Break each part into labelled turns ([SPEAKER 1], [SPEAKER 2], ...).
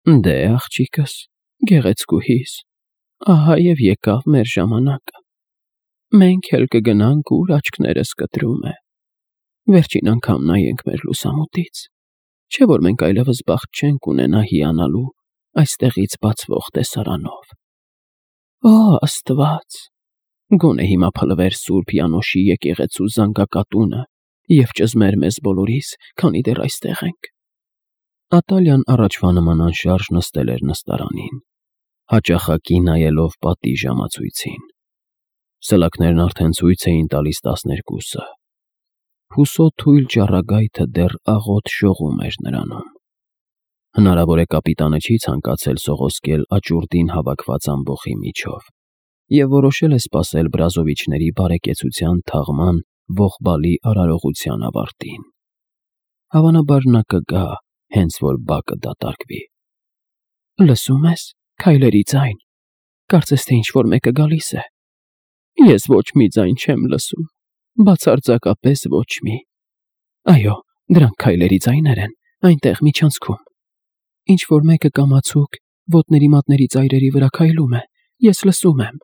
[SPEAKER 1] Դե, աղջիկս, գեղեցկուհիս, ահա և եկավ մեր ժամանակը, մենք էլ կգնանք, ուր աչքներս կտրում է, վերջին անգամ նայենք մեր լուսամուտից, չէ՞ որ մենք այլևս բախտ չենք ունենա հիանալու այստեղից բացվող տեսարանով։ Օ, Աստված, գոնե հիմա փլվեր Սուրբ Յանոշի եկեղեցու զանգակատունը և ճզմեր մեզ բոլորիս, քանի դեռ այստեղ ենք։ Ատալյան առաջվա նման անշարժ նստել էր նստարանին, հաճախակի նայելով պատի ժամացույցին։ Սլաքներն արդեն ցույց էին տալիս 12-ը։ Հուսո թույլ ճառագայթը դեռ աղոտ շողում էր նրանում։ Հնարավոր է կապիտանը չի ցանկացել սողոսկել աճուրդին հավաքված ամբոխի միջով և որոշել է սպասել Բրազովիչների բարեկեցության թաղման ողբալի արարողության ավարտին։ Հավանաբար նա կգա, հենց որ բակը դատարկվի։ Լսում ես, քայլերի ձայն, կարծես թե ինչ-որ մեկը գալիս է։ Ես ոչ մի ձայն չեմ լսում, բացարձակապես ոչ մի։ Այո, դրանք քայլերի ձայներ են, այնտեղ միջանցքում։ Ինչ-որ մեկը կամացուկ ոտների մատների ծայրերի վրա քայլում է, ես լսում եմ։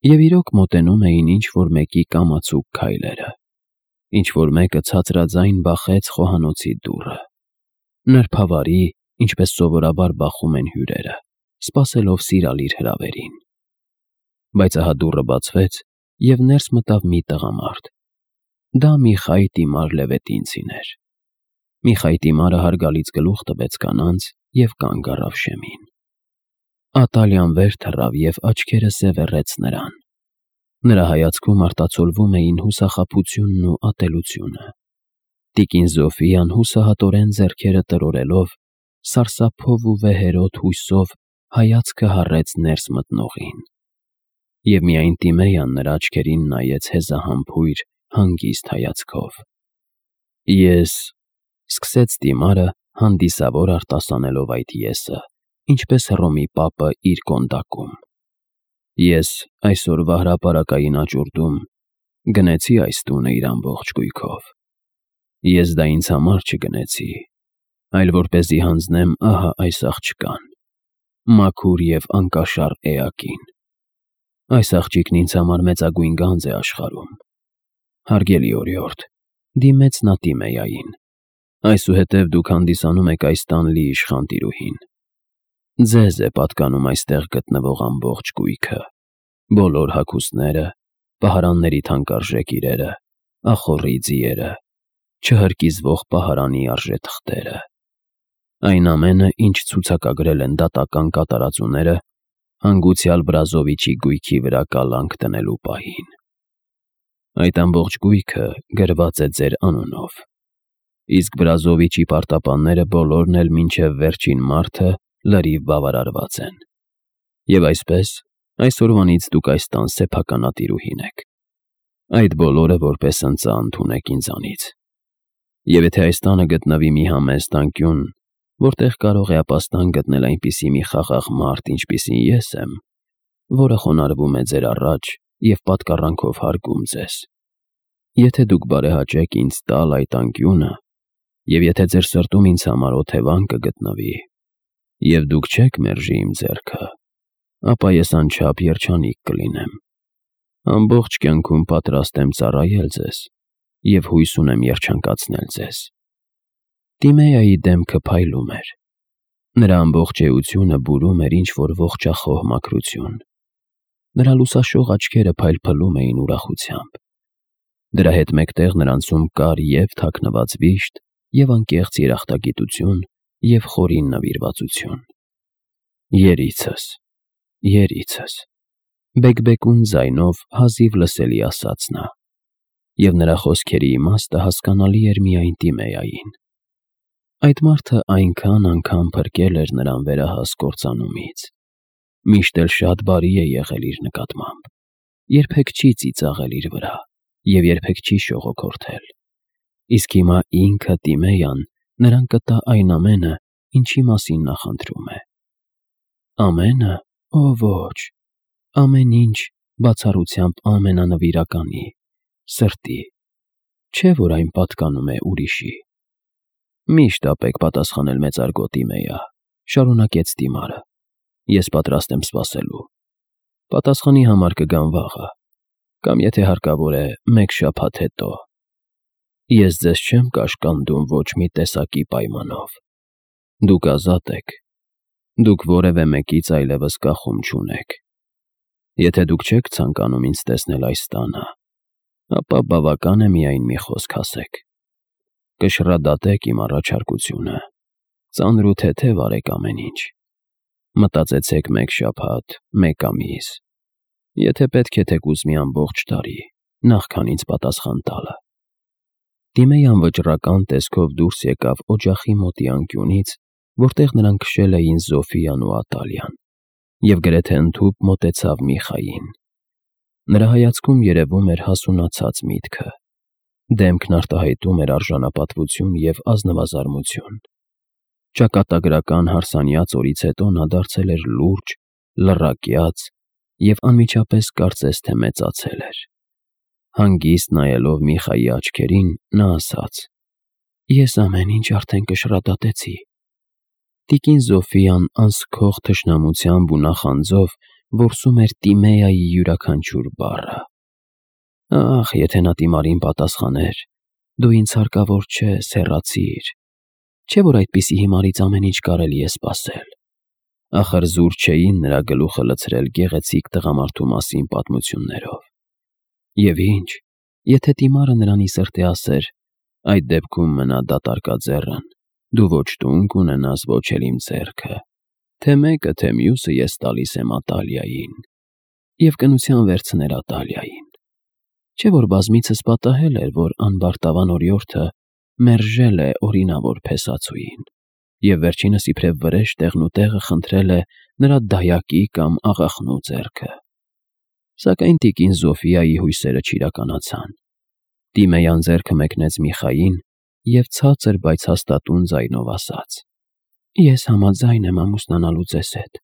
[SPEAKER 1] Եվ իրոք մոտենում էին ինչ-որ մեկի կամացուկ քայլերը։ Ինչ-որ մեկը ցածրաձայն բախեց խոհանոցի դուռը։ Նրբավարի, ինչպես սովորաբար բախում են հյուրերը, սպասելով սիրալիր հրավերին։ Բայց ահա դուռը բացվեց, և ներս մտավ մի տղամարդ։ Դա Միխայ Տիմար Լևետինցին էր։ Միխայ Տիմարը հարգալից գլուխ տվեց կանանց և կանգ առավ շեմին։ Ատալյան վեր թռավ և աչքերը սևեռեց նրան։ Նրա հայացքում արտացոլվում էին հուսախաբությունն ու ատելությունը։ Տիկին Զոֆիան հուսահատորեն ձեռքերը տրորելով, սարսափով ու վեհերոտ հույսով հայացքը հառեց ներս մտնողին։ Եվ միայն Տիմեյան նրա աչքերին նայեց հեզահամբույր, հանգիստ հայացքով։ Ես, սկսեց Տիմարը, հանդիսավոր արտասանելով այդ եսը, ինչպես Հռոմի պապը իր կոնդակում։ Ես այսօրվա հրապարակային աճուրդում գնեցի այս տունը իր ամբողջ կույքով։ Ես դա ինձ համար չգնեցի, այլ որպեսզի հանձնեմ ահա այս աղջկան, մաքուր և անկաշառ էակին։ Այս աղջիկն ինձ համար մեծագույն գանձ է աշխարհում։ Հարգելի օրիորդ, դիմեց նա Տիմեյային, այսուհետև դուք հանդիսանում եք այս տան լի իշխան տիրուհին։ Ձեզ է պատկանում այստեղ գտնվող ամբողջ կույքը, բոլոր հագուստները, պահարանների թանկարժեք իրերը, ախոռի ձիերը, չհրկիզվող պահարանի արժեթղթերը, այն ամենը, ինչ ցուցակագրել են դատական կատարածուները հանգուցյալ Բրազովիչի գույքի վրա կալանք դնելու պահին։ Այդ ամբողջ գույքը գրված է ձեր անունով, իսկ Բրազովիչի պարտապանները բոլորն էլ մինչև վերջին մարդը լրիվ բավարարված են։ Եվ այսպես, այսօրվանից դուք այս տան սեփականատիրուհին եք։ Այդ բոլորը որպես ընծա ընդունեք ինձանից։ Եվ եթե այս տանը գտնվի մի համեստ անկյուն, որտեղ կարող է ապաստան գտնել այնպիսի մի խաղաղ մարդ, ինչպիսին ես եմ, որը խոնարհվում է ձեր առաջ և պատկառանքով հարգում ձեզ, եթե դուք բարեհաճեք ինձ տալ այդ անկյունը, և եթե ձեր սրտում ինձ համար օթևան կգտնվի, և դուք չեք մերժի իմ ձեռքը, ապա ես անչափ երջանիկ կլինեմ։ Ամբողջ կյանքում պատրաստ եմ ծառայել ձեզ և հույս ունեմ երջանկացնել ձեզ։ Տիմեյայի դեմքը փայլում էր։ Նրա ամբողջ էությունը բուրում էր ինչ-որ ողջախոհ մաքրություն։ Նրա լուսաշող աչքերը փայլփլում էին ուրախությամբ։ Դրա հետ մեկտեղ նրանցում կար և թաքնված վիշտ, և անկեղծ երախտագիտություն, և խորին նվիրվածություն։ Երիցս, երիցս, բեկբեկուն ձայնով հազիվ լսելի ասաց նա, և նրա խոսքերի իմաստը հասկանալի էր միայն Տիմեյային։ Այդ մարդը այնքան անգամ փրկել էր նրան վերահաս կործանումից, միշտ էլ շատ բարի է եղել իր նկատմամբ, երբեք չի ծիծաղել իր վրա և երբեք չի շողոքորթել, իսկ հիմա ինքը Տիմեյան նրան կտա այն ամենը, ինչի մասին նա խնդրում է։ Ամենը, օ ոչ, ամեն ինչ բացառությամբ ամենանվիրականի, սրտի, չէ՞ որ այն պատկանում է ուրիշի։ Մի շտապեք պատասխանել մեծարգո Տիմեյա, Շարունակեց Տիմարը։ Ես պատրաստ եմ սպասելու։ Պատասխանի համար կգամ վաղը, կամ եթե հարկավոր է, մեկ շաբաթ հետո։ Ես ձեզ չեմ կաշկանդում ոչ մի տեսակի պայմանով։ Դուք ազատ եք։ Դուք որևէ մեկից այլևս կախում չունեք։ Եթե դուք չեք ցանկանում ինձ տեսնել այս տանը, ապա բավական է միայն մի խոսք ասեք։ Կշռադատեք իմ առաջարկությունը, ծանր ու թեթև արեք ամեն ինչ։ Մտածեցեք մեկ շաբաթ, մեկ ամիս, եթե պետք է թեկուզ մի ամբողջ տարի, նախքան ինձ պատասխան տալը։ Տիմեյան վճռական տեսքով դուրս եկավ օջախի մոտի անկյունից, որտեղ նրան քշել էին Զոֆիան ու Ատալիան, և գրեթե ընդհուպ մոտեցավ Միխային։ Նրա հայացքում երևում էր հասունացած միտքը, դեմքն արտահայտում էր արժանապատվություն և ազնվազարմություն։ Ճակատագրական հարսանյաց օրից հետո նա դարձել էր լուրջ, լռակյաց և անմիջապես կարծես թե մեծացել էր։ Հանգիստ նայելով Միխայի աչքերին, նա ասաց. «Ես ամեն ինչ արդեն կշռադատեցի»։ Տիկին Զոֆիան անսքող թշնամությամբ ու նախանձով որսում էր Տիմեայի յուրաքանչյուր բառը։ Ախ, եթե նա Տիմարին պատասխաներ. «Դու ինձ հարկավոր չես, հեռացիր», չէ՞ որ այդպիսի հիմարից ամեն ինչ կարելի է սպասել։ Ախր զուր չէին նրա գլուխը լցրել գեղեցիկ տղամարդու մասին պատմություններով։ Եվ ինչ, եթե Տիմարը նրանի սրտի ասեր. «Այդ դեպքում մնա դատարկաձեռն, դու ոչ տուն կունենաս, ոչ էլ իմ ձեռքը, թե մեկը, թե մյուսը ես տալիս եմ Ատալիային», և կնության վերցներ Ատալիային։ Չէ՞ որ բազմիցս պատահել էր, որ անբարտավան օրիորդը մերժել է օրինավոր փեսացուին, և վերջինս իբրև վրեժ տեղնուտեղը խնդրել է նրա դայակի կամ աղախնու ձեռքը։ Սակայն տիկին Զոֆիայի հույսերը չիրականացան։ Տիմեյան ձեռքը մեկնեց Միխային և ցածր, բայց հաստատուն ձայնով ասաց. «Ես համաձայն եմ ամուսնանալու ձեզ հետ»։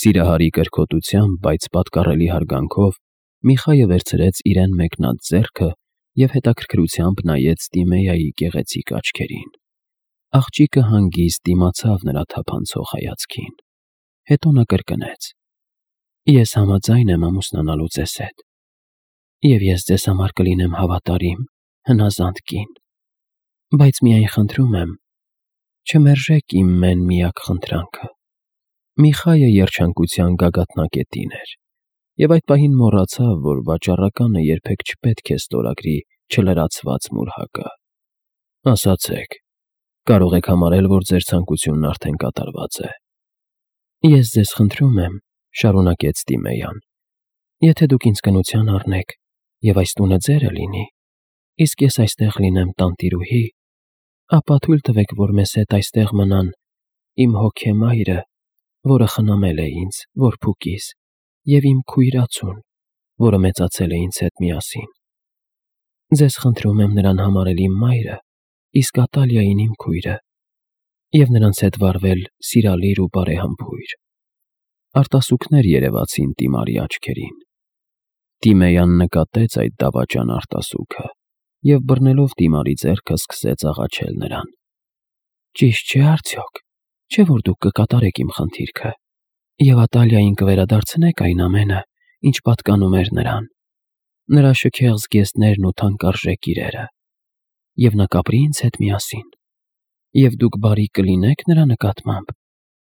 [SPEAKER 1] Սիրահարի կրքոտությամբ, բայց պատկառելի հարգանքով Միխայը վերցրեց իրեն մեկնած ձեռքը և հետաքրքրությամբ նայեց Տիմեայի գեղեցիկ աչքերին։ Աղջիկը հանգիստ դիմացավ նրա թափանցող հայացքին։ Հետո նա կրկնեց. «Ես համաձայն եմ ամուսնանալու ձեզ հետ, և ես ձեզ համար կլինեմ հավատարիմ, հնազանդ կին, բայց միայն խնդրում եմ, չմերժեք իմ մեն֊միակ խնդրանքը»։ Միխայը երջանկության գագաթնակետին էր, և այդ պահին մոռացավ, որ վաճառականը երբեք չպետք է ստորագրի չլրացված մուրհակը։ «Ասացեք, կարող եք համարել, որ ձեր ցանկությունն արդեն կատարված է»։ «Ես ձեզ խնդրում եմ», շարունակեց Տիմեյան, «եթե դուք ինձ կնության առնեք, և այս տունը ձերը լինի, իսկ ես այստեղ լինեմ տանտիրուհի, ապա թույլ տվեք, որ մեզ հետ այստեղ մնան իմ հոգեմայրը, որը խնամել է ինձ, որբուքիս, և իմ քույր-ածուն, որը մեծացել է ինձ հետ միասին։ Ձեզ խնդրում եմ նրան համարել իմ մայրը, իսկ Ատալիային իմ քույրը, և նրանց հետ վարվել սիրալիր ու բարեհամբույր»։ Արտասուքներ երևացին Տիմարի աչքերին։ Տիմեյան նկատեց այդ դավաճան արտասուքը և բռնելով Տիմարի ձեռքը սկսեց աղաչել նրան. «Ճիշտ չէ՞ արդյոք, չէ՞ որ դուք կկատարեք իմ խնդիրքը, և Ատալիային կվերադարձնեք այն ամենը, ինչ պատկանում էր նրան, նրա շքեղ զգեստներն ու թանկարժեք իրերը, և նա կապրի ինձ հետ միասին, և դուք բարի կլինեք նրա նկատմամբ,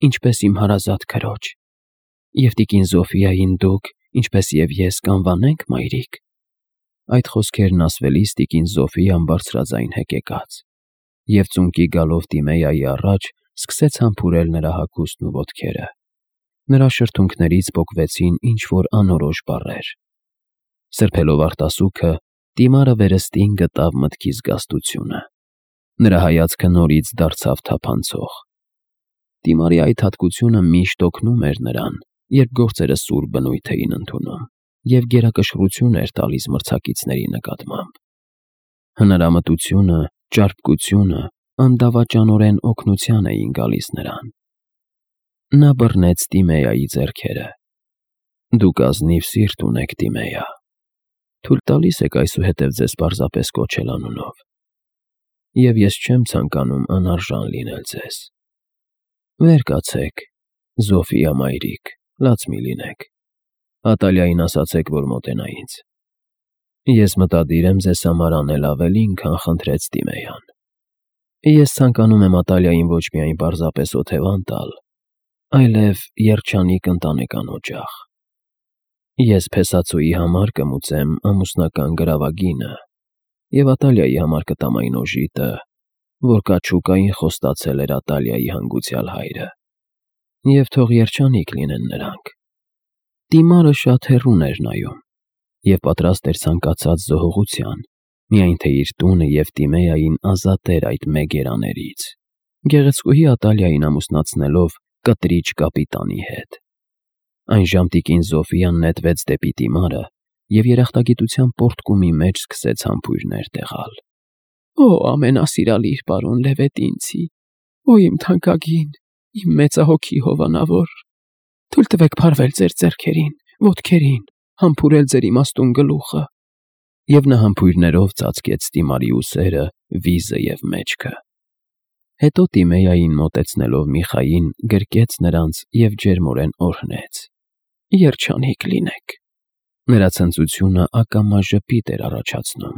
[SPEAKER 1] ինչպես իմ հարազատ քրոջ, և տիկին Զոֆիային դուք, ինչպես և ես, կանվանենք մայրիկ»։ Այդ խոսքերն ասվելիս տիկին Զոֆիան բարձրաձայն հեկեկաց և ծունկի գալով Տիմեայի առաջ սկսեց համբուրել նրա հագուստն ու ոտքերը։ Նրա շրթունքներից պոկվեցին ինչ-որ անորոշ բառեր։ Սրբելով արտասուքը, Տիմարը վերստին գտավ մտքի զգաստությունը։ Նրա հայացքը նորից դարձավ թափանցող։ Տիմարի այդ հատկությունը միշտ օգնում էր նրան, երբ գործերը սուր բնույթ էին ընդունում և գերակշռություն էր տալիս մրցակիցների նկատմամբ։ Հնարամտությունը, ճարպկությունը անդավաճանորեն օգնության էին գալիս նրան։ Նա բռնեց Տիմեայի ձեռքերը։ «Դուք ազնիվ սիրտ ունեք, Տիմեյա, թույլ տալիս եք այսուհետև ձեզ պարզապես կոչել անունով, և ես չեմ ցանկանում անարժան լինել ձեզ։ Վեր կացեք, Զոֆիա մայրիկ, լաց մի լինեք, Ատալիային ասացեք, որ մոտենա ինձ։ Ես մտադիր եմ ձեզ համար անել ավելին, քան խնդրեց Տիմեյան։ Ես ցանկանում եմ Ատալիային ոչ միայն պարզապես օթևան տալ, այլև երջանիկ ընտանեկան օջախ։ Ես Փեսացոյի համար կմուծեմ ամուսնական գրավագինը և Ատալիայի համար կտամ այն օժիտը, որ կաչուկային խոստացել էր Ատալիայի հանգուցյալ հայրը, և թող երջանիկ լինեն նրանք։ Տիմարը շատ հեռուն էր նայում և պատրաստ էր ցանկացած զոհողության, միայն թե իր տունը և Տիմեային ազատեր այդ մեկ երաներից, գեղեցկուհի Ատալիային ամուսնացնելով կտրիչ կապիտանի հետ։ Այն ժամտիկին Զոֆիան նետվեց դեպի Տիմարը և երախտագիտության պոռթկումի մեջ սկսեց համբույրներ տեղալ։ «Օ, ամենասիրալիր պարոն Լևետինցի, օ իմ թանկագին, իմ մեծահոգի հովանավոր, թույլ տվեք փարվել ձեր ձեռքերին, ոտքերին, համբուրել ձեր իմաստուն գլուխը»։ Եվ նա համբույրներով ծածկեց Տիմարի ուսերը, վիզը և մեջքը։ Հետո Տիմեային մոտեցնելով Միխային գրկեց նրանց և ջերմորեն օրհնեց։ «Երջանիկ լինեք»։ Նրա ցնծությունը ակամա ժպիտ էր առաջացնում,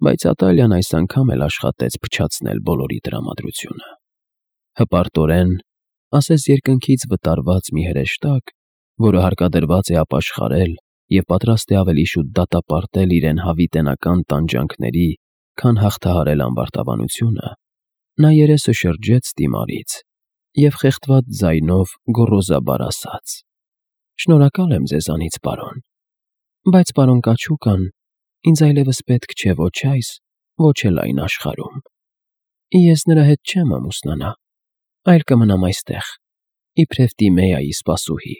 [SPEAKER 1] բայց Ատալիան այս անգամ էլ աշխատեց փչացնել բոլորի տրամադրությունը։ Հպարտորեն, ասես երկնքից վտարված մի հրեշտակ, որը հարկադրված է ապաշխարել և պատրաստ է ավելի շուտ դատապարտել իրեն հավիտենական տանջանքների, քան հաղթահարել ամբարտավանությունը, նա երեսը շրջեց Տիմարից և խեղդված ձայնով գոռոզաբար ասաց. «Շնորհակալ եմ ձեզանից, պարոն, բայց պարոն կաչուկան ինձ այլևս պետք չէ ոչ այս, ոչ էլ այն աշխարհում։ Ես նրա հետ չեմ ամուսնանա, այլ կմնամ այստեղ, իբրև Տիմեայի սպասուհի»։